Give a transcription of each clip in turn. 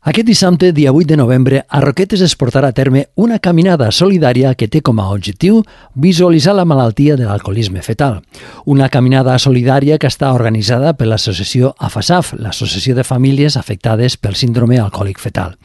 Aquest dissabte, dia 8 de novembre, a Roquetes es portarà a terme una caminada solidària que té com a objectiu visualitzar la malaltia de l'alcoholisme fetal. Una caminada solidària que està organitzada per l'associació AFASAF, l'Associació de Famílies Afectades pel Síndrome Alcohòlic Fetal.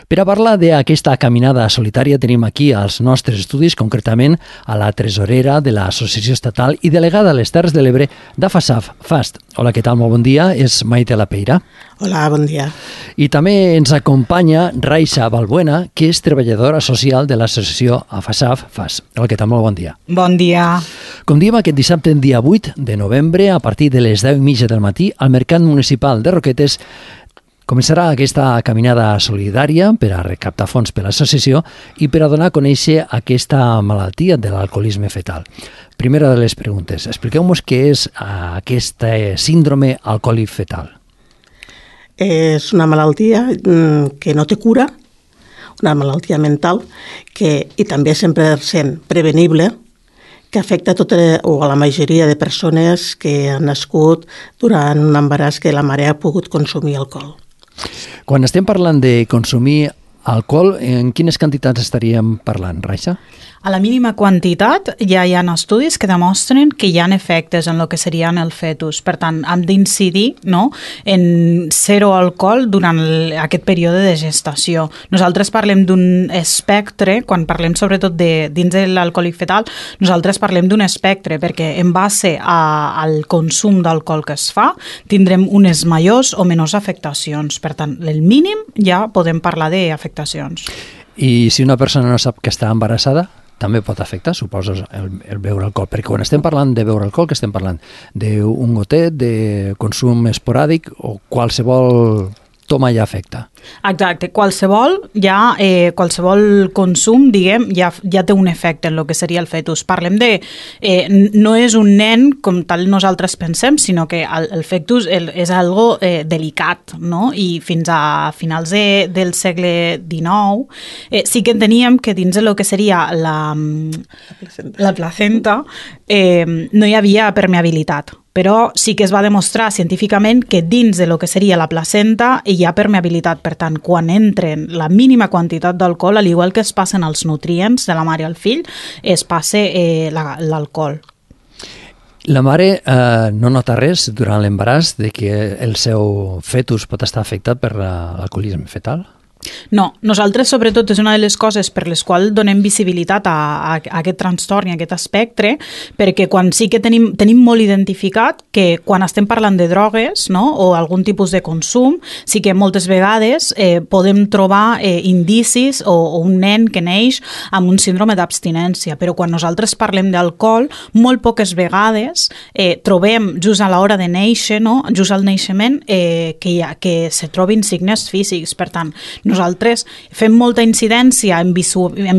Per a parlar d'aquesta caminada solitària tenim aquí als nostres estudis, concretament a la tresorera de l'Associació Estatal i delegada a les Terres de l'Ebre d'AFASAF, FAST. Hola, què tal? Molt bon dia. És Maite Lapeira. Hola, bon dia. I també ens acompanya Raixa Balbuena, que és treballadora social de l'associació AFASAF FAS. Hola, què tal? Molt bon dia. Bon dia. Com diem, aquest dissabte, dia 8 de novembre, a partir de les 10:30 del matí, al Mercat Municipal de Roquetes, començarà aquesta caminada solidària per a recaptar fons per l'associació i per a donar a conèixer aquesta malaltia de l'alcoholisme fetal. Primera de les preguntes, expliqueu-nos què és aquest síndrome alcohòlic fetal. És una malaltia que no té cura, una malaltia mental i també 100% prevenible, que afecta a la majoria de persones que han nascut durant un embaràs que la mare ha pogut consumir alcohol. Quan estem parlant de consumir alcohol, en quines quantitats estaríem parlant, Raixa? A la mínima quantitat ja hi ha estudis que demostren que hi ha efectes en el que serien el fetus. Per tant, hem d'incidir en zero alcohol durant aquest període de gestació. Nosaltres parlem d'un espectre, quan parlem sobretot dins de l'alcohòlic fetal, nosaltres parlem d'un espectre perquè en base al consum d'alcohol que es fa tindrem unes majors o menors afectacions. Per tant, el mínim ja podem parlar d'afectacions. I si una persona no sap que està embarassada, també pot afectar, suposo, el beure alcohol. Perquè quan estem parlant de beure alcohol, que estem parlant d'un gotet, de consum esporàdic o qualsevol toma ja afecta. Exacte, qualsevol consum, diguem, ja té un efecte en el que seria el fetus. Parlem no és un nen com tal nosaltres pensem, sinó que el fetus és algo delicat, no? I fins a finals del segle XIX sí que enteníem que dins del que seria la placenta no hi havia permeabilitat. Però sí que es va demostrar científicament que dins de lo que seria la placenta hi ha permeabilitat. Per tant, quan entren la mínima quantitat d'alcohol, al igual que es passen els nutrients de la mare al fill, es passa l'alcohol. La mare no nota res durant l'embaràs de que el seu fetus pot estar afectat per l'alcoholisme fetal? No, nosaltres sobretot és una de les coses per les quals donem visibilitat a aquest trastorn i a aquest espectre, perquè quan sí que tenim molt identificat que quan estem parlant de drogues, no, o algun tipus de consum, sí que moltes vegades podem trobar indicis o un nen que neix amb un síndrome d'abstinència, però quan nosaltres parlem d'alcohol, molt poques vegades trobem just a l'hora de néixer, no, just al naixement, que se trobin signes físics. Per tant, nosaltres fem molta incidència en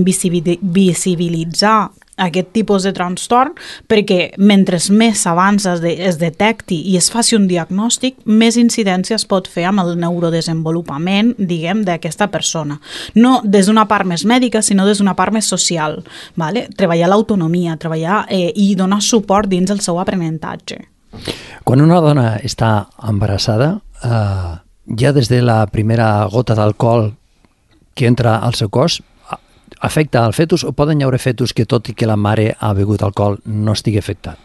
visibilitzar aquest tipus de trastorn perquè mentre més abans es detecti i es faci un diagnòstic, més incidència es pot fer amb el neurodesenvolupament, diguem, d'aquesta persona. No des d'una part més mèdica, sinó des d'una part més social. Vale? Treballar l'autonomia, treballar i donar suport dins el seu aprenentatge. Quan una dona està embarassada, ja des de la primera gota d'alcohol que entra al seu cos, afecta al fetus o poden hi haver fetus que tot i que la mare ha begut alcohol no estigui afectat?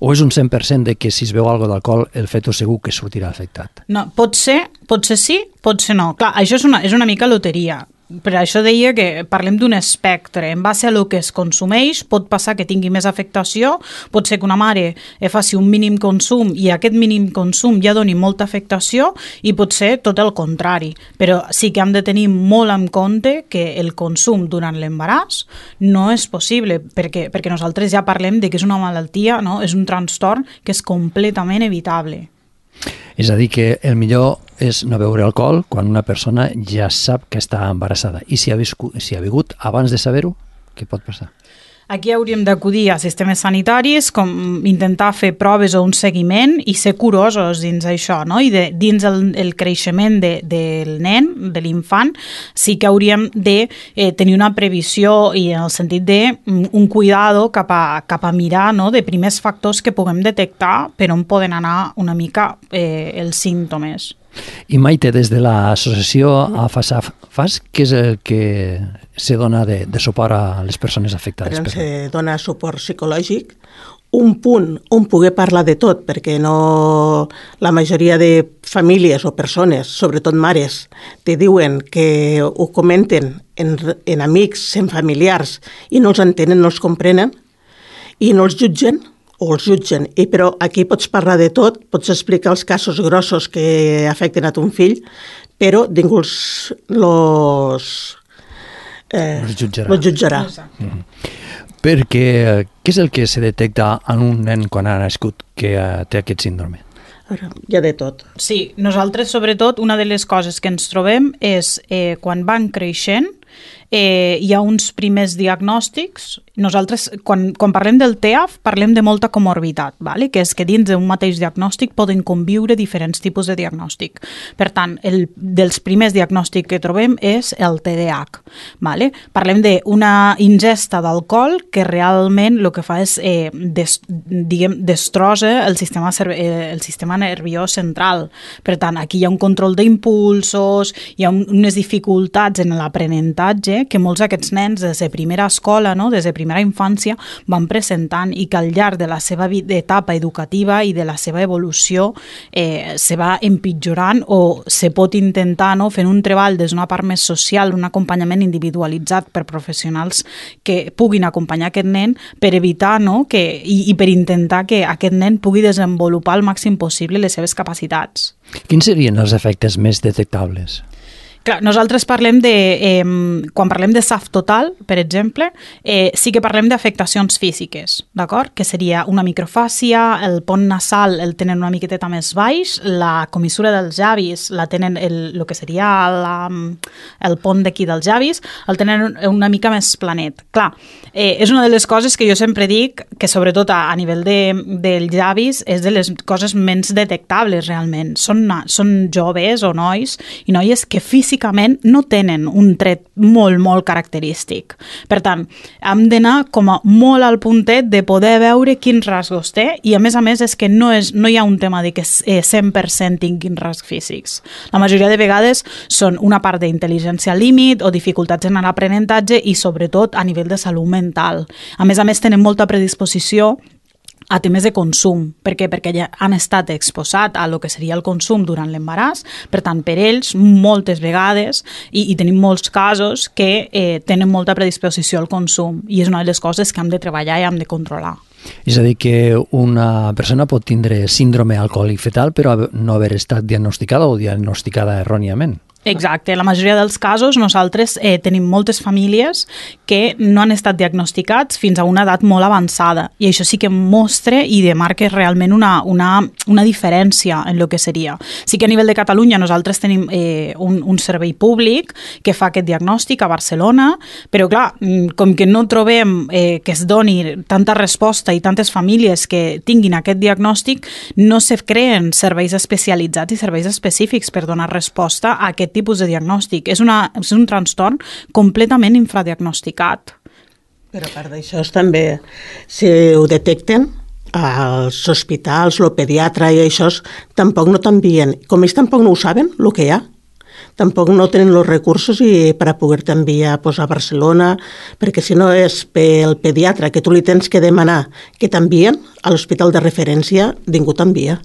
O és un 100% de que si es beu alguna d'alcohol el fetus segur que sortirà afectat? No, pot ser sí, pot ser no. Clar, això és una mica loteria. Per això deia que parlem d'un espectre. En base a el que es consumeix, pot passar que tingui més afectació, pot ser que una mare faci un mínim consum i aquest mínim consum ja doni molta afectació i pot ser tot el contrari. Però sí que hem de tenir molt en compte que el consum durant l'embaràs no és possible, perquè nosaltres ja parlem de que és una malaltia, no? És un trastorn que és completament evitable. És a dir, que el millor és no beure alcohol quan una persona ja sap que està embarassada. I si ha begut abans de saber-ho, què pot passar? Aquí hauríem d'acudir a sistemes sanitaris, com intentar fer proves o un seguiment i ser curosos dins això, no? I dins el creixement del nen, de l'infant, sí que hauríem de tenir una previsió i en el sentit de un cuidado cap a mirar, no? De primers factors que puguem detectar per on poden anar una mica els símptomes. I Maite, des de l'associació AFAS, què és el que se dona de suport a les persones afectades? Se dona suport psicològic, un punt on poder parlar de tot, perquè la majoria de famílies o persones, sobretot mares, te diuen que ho comenten en amics, en familiars, i no els entenen, no els comprenen, i no els jutgen, però aquí pots parlar de tot, pots explicar els casos grossos que afecten a ton fill, però ningú els jutjarà. Perquè què és el que se detecta en un nen quan ha nascut que té aquest síndrome? Hi ha de tot. Sí, nosaltres sobretot una de les coses que ens trobem és quan van creixent hi ha uns primers diagnòstics. Nosaltres, quan parlem del TEAF, parlem de molta comorbitat, vale? Que és que dins d'un mateix diagnòstic poden conviure diferents tipus de diagnòstic. Per tant, dels primers diagnòstics que trobem és el TDAH. Vale? Parlem d'una ingesta d'alcohol que realment el que fa és destrossa el sistema nerviós central. Per tant, aquí hi ha un control d'impulsos, hi ha unes dificultats en l'aprenentatge que molts d'aquests nens des de primera escola, no? Des de primera infància, van presentant i que al llarg de la seva etapa educativa i de la seva evolució se va empitjorant o se pot intentar, no? Fent un treball des d'una part més social, un acompanyament individualitzat per professionals que puguin acompanyar aquest nen per evitar, no? I per intentar que aquest nen pugui desenvolupar al màxim possible les seves capacitats. Quins serien els efectes més detectables? Clar, nosaltres parlem quan parlem de SAF total, per exemple, sí que parlem d'afectacions físiques, d'acord? Que seria una microfàcia, el pont nasal el tenen una miqueteta més baix, la comissura dels llavis la tenen, el que seria el pont d'aquí dels llavis, el tenen una mica més planet. Clar, és una de les coses que jo sempre dic, que sobretot a nivell dels llavis és de les coses menys detectables realment. Són joves o nois i noies que físicament no tenen un tret molt, molt característic. Per tant, hem d'anar com a molt al puntet de poder veure quins rasgos té i a més és que no hi ha un tema de que 100% tinguin rasgs físics. La majoria de vegades són una part d'intel·ligència límit o dificultats en l'aprenentatge i sobretot a nivell de salut mental. A més tenen molta predisposició a temes de consum. Per què? Perquè ja han estat exposats a lo que seria el consum durant l'embaràs. Per tant, per ells, moltes vegades, i tenim molts casos que tenen molta predisposició al consum i és una de les coses que hem de treballar i hem de controlar. És a dir, que una persona pot tindre síndrome alcohòlic fetal però no haver estat diagnosticada o diagnosticada erròniament. Exacte, la majoria dels casos nosaltres tenim moltes famílies que no han estat diagnosticats fins a una edat molt avançada i això sí que mostra i demarca realment una diferència en el que seria. Sí que a nivell de Catalunya nosaltres tenim un servei públic que fa aquest diagnòstic a Barcelona, però clar, com que no trobem que es doni tanta resposta i tantes famílies que tinguin aquest diagnòstic, no se creen serveis especialitzats i serveis específics per donar resposta a aquest tipus de diagnòstic. És un trastorn completament infradiagnosticat. Però a part d'això també, si ho detecten, als hospitals, el pediatre i això, tampoc no t'envien. Com ells tampoc no ho saben, el que hi ha, tampoc no tenen els recursos per a poder-te enviar a Barcelona, perquè si no és pel pediatre que tu li tens que demanar que t'envien, a l'hospital de referència ningú t'envia.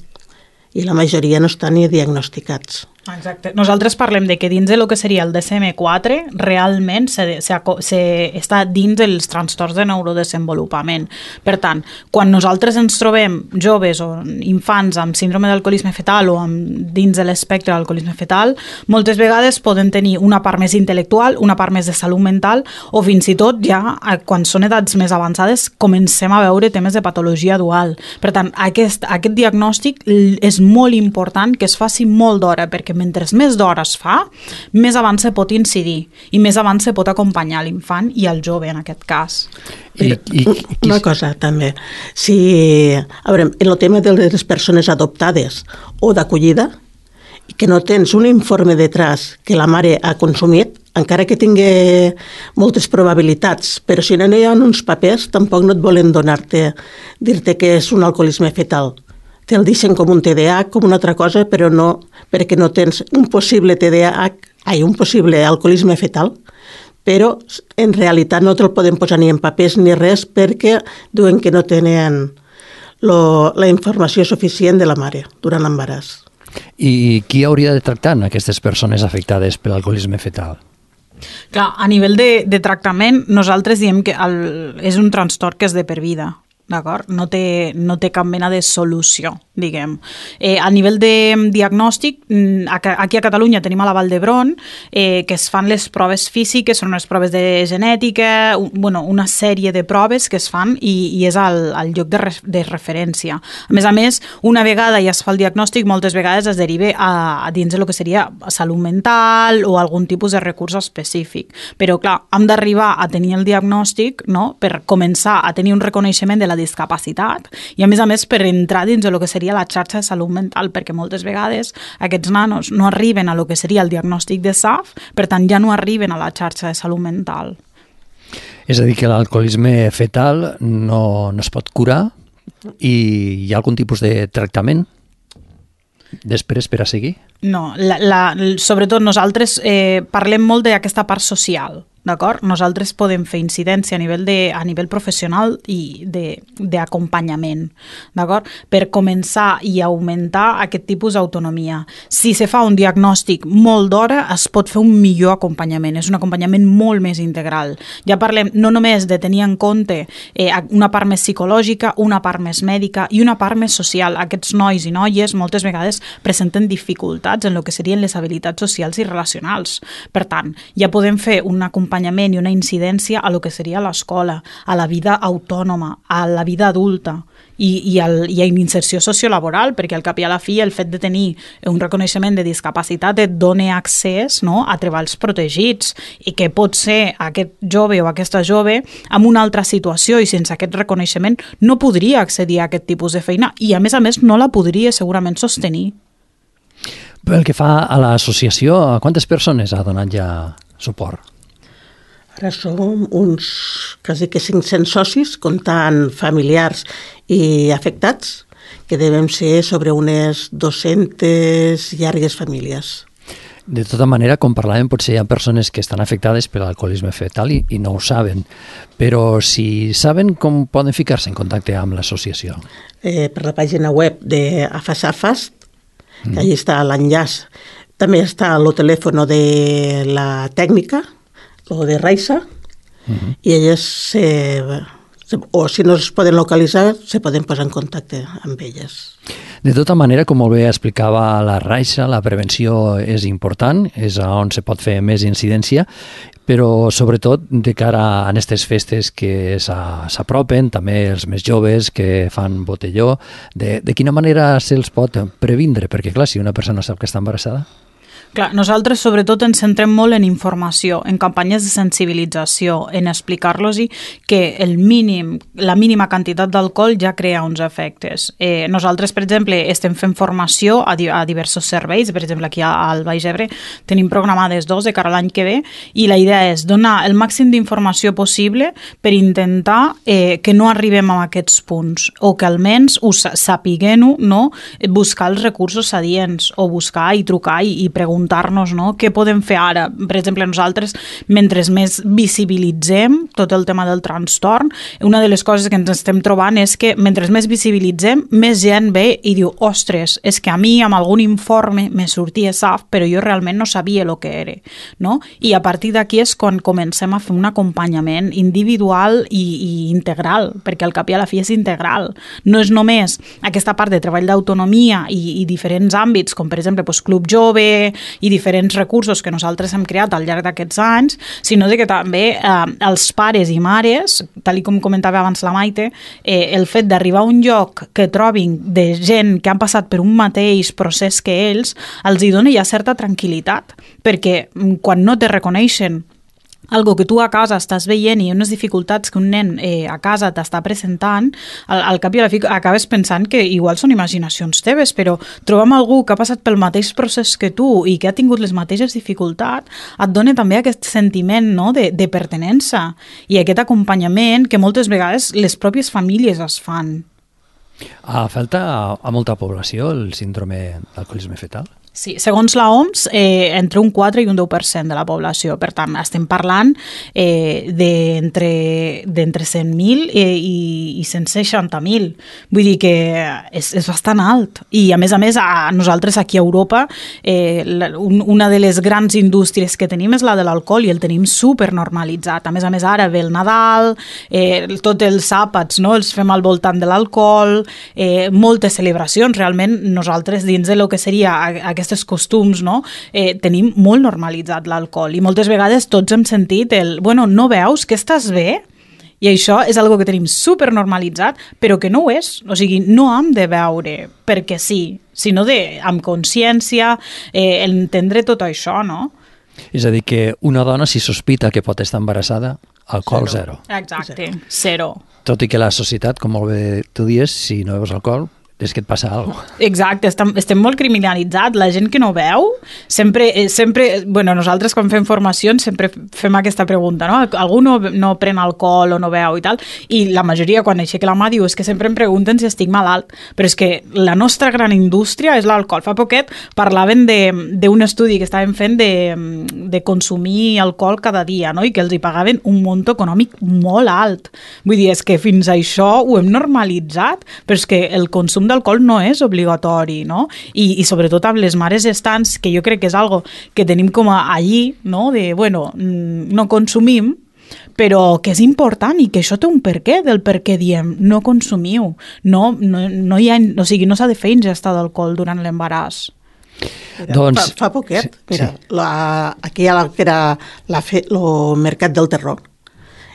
I la majoria no estan ni diagnosticats. Exacte. Nosaltres parlem de que dins de lo que seria el DSM-4 realment està dins dels trastorns de neurodesenvolupament. Per tant, quan nosaltres ens trobem joves o infants amb síndrome d'alcoholisme fetal o dins de l'espectre d'alcoholisme fetal, moltes vegades poden tenir una part més intel·lectual, una part més de salut mental o fins i tot ja quan són edats més avançades comencem a veure temes de patologia dual. Per tant, aquest diagnòstic és molt important que es faci molt d'hora perquè mentre més d'hora es fa, més abans se pot incidir i més abans se pot acompanyar l'infant i el jove en aquest cas. Una cosa també, a veure, en el tema de les persones adoptades o d'acollida, que no tens un informe detrás que la mare ha consumit, encara que tingui moltes probabilitats, però si no hi ha uns papers tampoc no et volen dir-te que és un alcoholisme fetal. te'l deixen com un TDAH, com una altra cosa, però no perquè no tens un possible un possible alcoholisme fetal, però en realitat no te'l poden posar ni en papers ni res perquè diuen que no tenen la informació suficient de la mare durant l'embaràs. I qui hauria de tractar aquestes persones afectades per l'alcoholisme fetal? Clar, a nivell de tractament, nosaltres diem que és un trastorn que és de per vida, d'acord? No té cap mena de solució, diguem. A nivell de diagnòstic, aquí a Catalunya tenim a la Vall d'Hebron que es fan les proves físiques, són unes proves de genètica, una sèrie de proves que es fan i és al lloc de referència. A més, una vegada ja es fa el diagnòstic, moltes vegades es deriva a dins del que seria salut mental o algun tipus de recurs específic. Però, clar, hem d'arribar a tenir el diagnòstic, no?, per començar a tenir un reconeixement de la discapacitat i, a més, per entrar dins del que seria la xarxa de salut mental, perquè moltes vegades aquests nanos no arriben a lo que seria el diagnòstic de SAF, per tant ja no arriben a la xarxa de salut mental. És a dir, que l'alcoholisme fetal no es pot curar i hi ha algun tipus de tractament després per a seguir? No, sobretot nosaltres parlem molt d'aquesta part social, d'acord? Nosaltres podem fer incidència a nivell professional i d'acompanyament, d'acord? Per començar i augmentar aquest tipus d'autonomia. Si se fa un diagnòstic molt d'hora, es pot fer un millor acompanyament. És un acompanyament molt més integral. Ja parlem no només de tenir en compte una part més psicològica, una part més mèdica i una part més social. Aquests nois i noies moltes vegades presenten dificultats en el que serien les habilitats socials i relacionals. Per tant, ja podem fer un acompanyament i una incidència a lo que seria l'escola, a la vida autònoma, a la vida adulta i a inserció sociolaboral, perquè al cap i a la fi el fet de tenir un reconeixement de discapacitat et dona accés, no?, a treballs protegits i que pot ser aquest jove o aquesta jove en una altra situació i sense aquest reconeixement no podria accedir a aquest tipus de feina i a més no la podria segurament sostenir. Pel que fa a l'associació, a quantes persones ha donat ja suport? Ara som uns quasi que 500 socis, comptant familiars i afectats, que devem ser sobre unes 200 llargues famílies. De tota manera, com parlàvem, potser hi ha persones que estan afectades per l'alcoholisme fetal i no ho saben, però si saben, com poden ficar-se en contacte amb l'associació? Per la pàgina web d'AFAS, que allí està l'enllaç. També està el telèfon de la tècnica, o de Raixa, i elles, o si no es poden localitzar, se poden posar en contacte amb elles. De tota manera, com molt bé explicava la Raixa, la prevenció és important, és on se pot fer més incidència, però sobretot de cara a aquestes festes que s'apropen, també els més joves que fan botelló, de quina manera se'ls pot previndre? Perquè clar, si una persona sap que està embarassada... Clar, nosaltres sobretot ens centrem molt en informació, en campanyes de sensibilització, en explicar-los que la mínima quantitat d'alcohol ja crea uns efectes. Nosaltres, per exemple, estem fent formació a diversos serveis, per exemple, aquí al Baix Ebre tenim programades 2 de cara a l'any que ve, i la idea és donar el màxim d'informació possible per intentar que no arribem a aquests punts, o que almenys sapiguem-ho, no? Buscar els recursos adients, o buscar i trucar i preguntar no? Què podem fer ara? Per exemple, nosaltres, mentre més visibilitzem tot el tema del trastorn, una de les coses que ens estem trobant és que mentre més visibilitzem, més gent ve i diu, ostres, és que a mi amb algun informe me sortia SAF, però jo realment no sabia el que era. No? I a partir d'aquí és quan comencem a fer un acompanyament individual i integral, perquè al cap i a la fi és integral. No és només aquesta part de treball d'autonomia i diferents àmbits, com per exemple Club Jove i diferents recursos que nosaltres hem creat al llarg d'aquests anys, sinó que també els pares i mares, tal com comentava abans la Maite, el fet d'arribar a un lloc que trobin de gent que han passat per un mateix procés que ells, els hi dona ja certa tranquil·litat, perquè quan no te reconeixen algo que tu a casa estàs veient i unes dificultats que un nen a casa t'està presentant, al cap i a la fi acabes pensant que igual són imaginacions teves, però trobam algú que ha passat pel mateix procés que tu i que ha tingut les mateixes dificultats, et dona també aquest sentiment, no?, de pertinença i aquest acompanyament que moltes vegades les pròpies famílies es fan. Afecta a molta població el síndrome d'alcoholisme fetal? Sí, segons la OMS, entre un 4 i un 10% de la població. Per tant, estem parlant d'entre 100.000 i 160.000. Vull dir que és bastant alt. I, a més, a nosaltres aquí a Europa, una de les grans indústries que tenim és la de l'alcohol i el tenim supernormalitzat. A més, ara ve el Nadal, tots els àpats, no?, els fem al voltant de l'alcohol, moltes celebracions. Realment, nosaltres, dins de lo que seria aquests costums, no? Tenim molt normalitzat l'alcohol i moltes vegades tots hem sentit bueno, no veus que estàs bé? I això és algo que tenim supernormalitzat, però que no ho és. O sigui, no hem de veure perquè sí, sinó amb consciència, entendre tot això, no? És a dir, que una dona, si sospita que pot estar embarassada, alcohol zero. Exacte, zero. Tot i que la societat, com molt bé tu dius, si no veus alcohol, és que et passa alguna cosa. Exacte, estem molt criminalitzats. La gent que no veu, sempre, bueno, nosaltres quan fem formacions sempre fem aquesta pregunta, no? Algú no pren alcohol o no veu i tal, i la majoria quan aixeca la mà diu és que sempre em pregunten si estic malalt, però és que la nostra gran indústria és l'alcohol. Fa poquet parlaven d'un estudi que estàvem fent de consumir alcohol cada dia, no? I que els hi pagaven un munt econòmic molt alt. Vull dir, és que fins a això ho hem normalitzat, però és que el consum d'alcohol no és obligatori, no? I sobretot amb les mares gestants, que jo crec que és algo que tenim com allí, no? De, bueno, no consumim, però que és important i que això té un perquè del per què diem no consumiu. No hi ha, o sigui, no s'ha de fer ingesta d'alcohol durant l'embaràs. Doncs, fa poquet, mira, sí. Aquí hi ha el Mercat del Terror.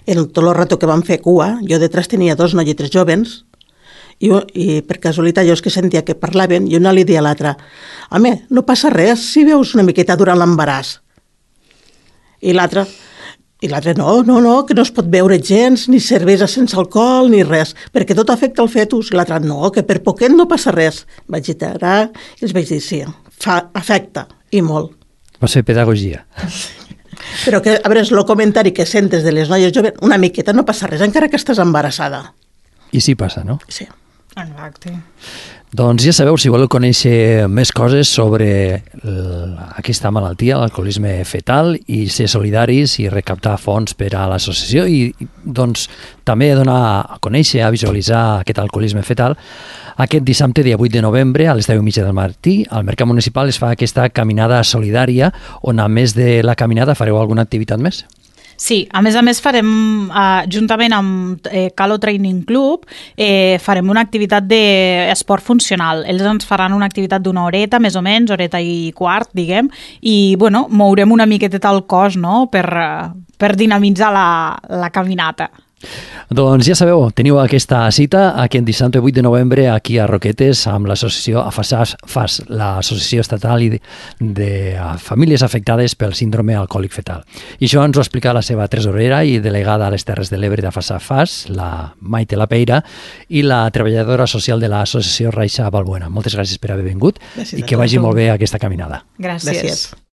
Tot el rato que vam fer cua, jo detrás tenia 2 noiets jovens i per casualitat jo és que sentia que parlaven i una li dia a l'altra: home, no passa res si veus una miqueta durant l'embaràs. I l'altra, no, que no es pot beure gens, ni cervesa sense alcohol, ni res, perquè tot afecta el fetus. I l'altra, no, que per poquet no passa res. Vaig iterar i els vaig dir, sí, afecta, i molt. Vas fer pedagogia. Però que, a veure, és el comentari que sentes de les noies joves, una miqueta no passa res, encara que estàs embarassada. I sí passa, no? Sí. Exacte. Doncs ja sabeu, si voleu conèixer més coses sobre aquesta malaltia, l'alcoholisme fetal, i ser solidaris i recaptar fons per a l'associació i doncs també donar a conèixer, a visualitzar aquest alcoholisme fetal, aquest dissabte, dia 8 de novembre, a les 10:30 del matí, al Mercat Municipal es fa aquesta caminada solidària, on a més de la caminada fareu alguna activitat més? Sí, a més farem, juntament amb Calo Training Club, farem una activitat d'esport funcional. Ells ens faran una activitat d'una horeta, més o menys, horeta i quart, diguem, i, bueno, mourem una miqueteta el cos, no?, per dinamitzar la caminata. Doncs ja sabeu, teniu aquesta cita aquest dissabte 8 de novembre aquí a Roquetes amb l'associació AFAS, l'Associació Estatal de Famílies Afectades pel Síndrome Alcohòlic Fetal. I això ens ho explica la seva tresorera i delegada a les Terres de l'Ebre d'AFAS, la Maite Lapeira, i la treballadora social de l'associació Raixa Balbuena. Moltes gràcies per haver vingut. Gràcies, i que vagi molt bé aquesta caminada. Gràcies.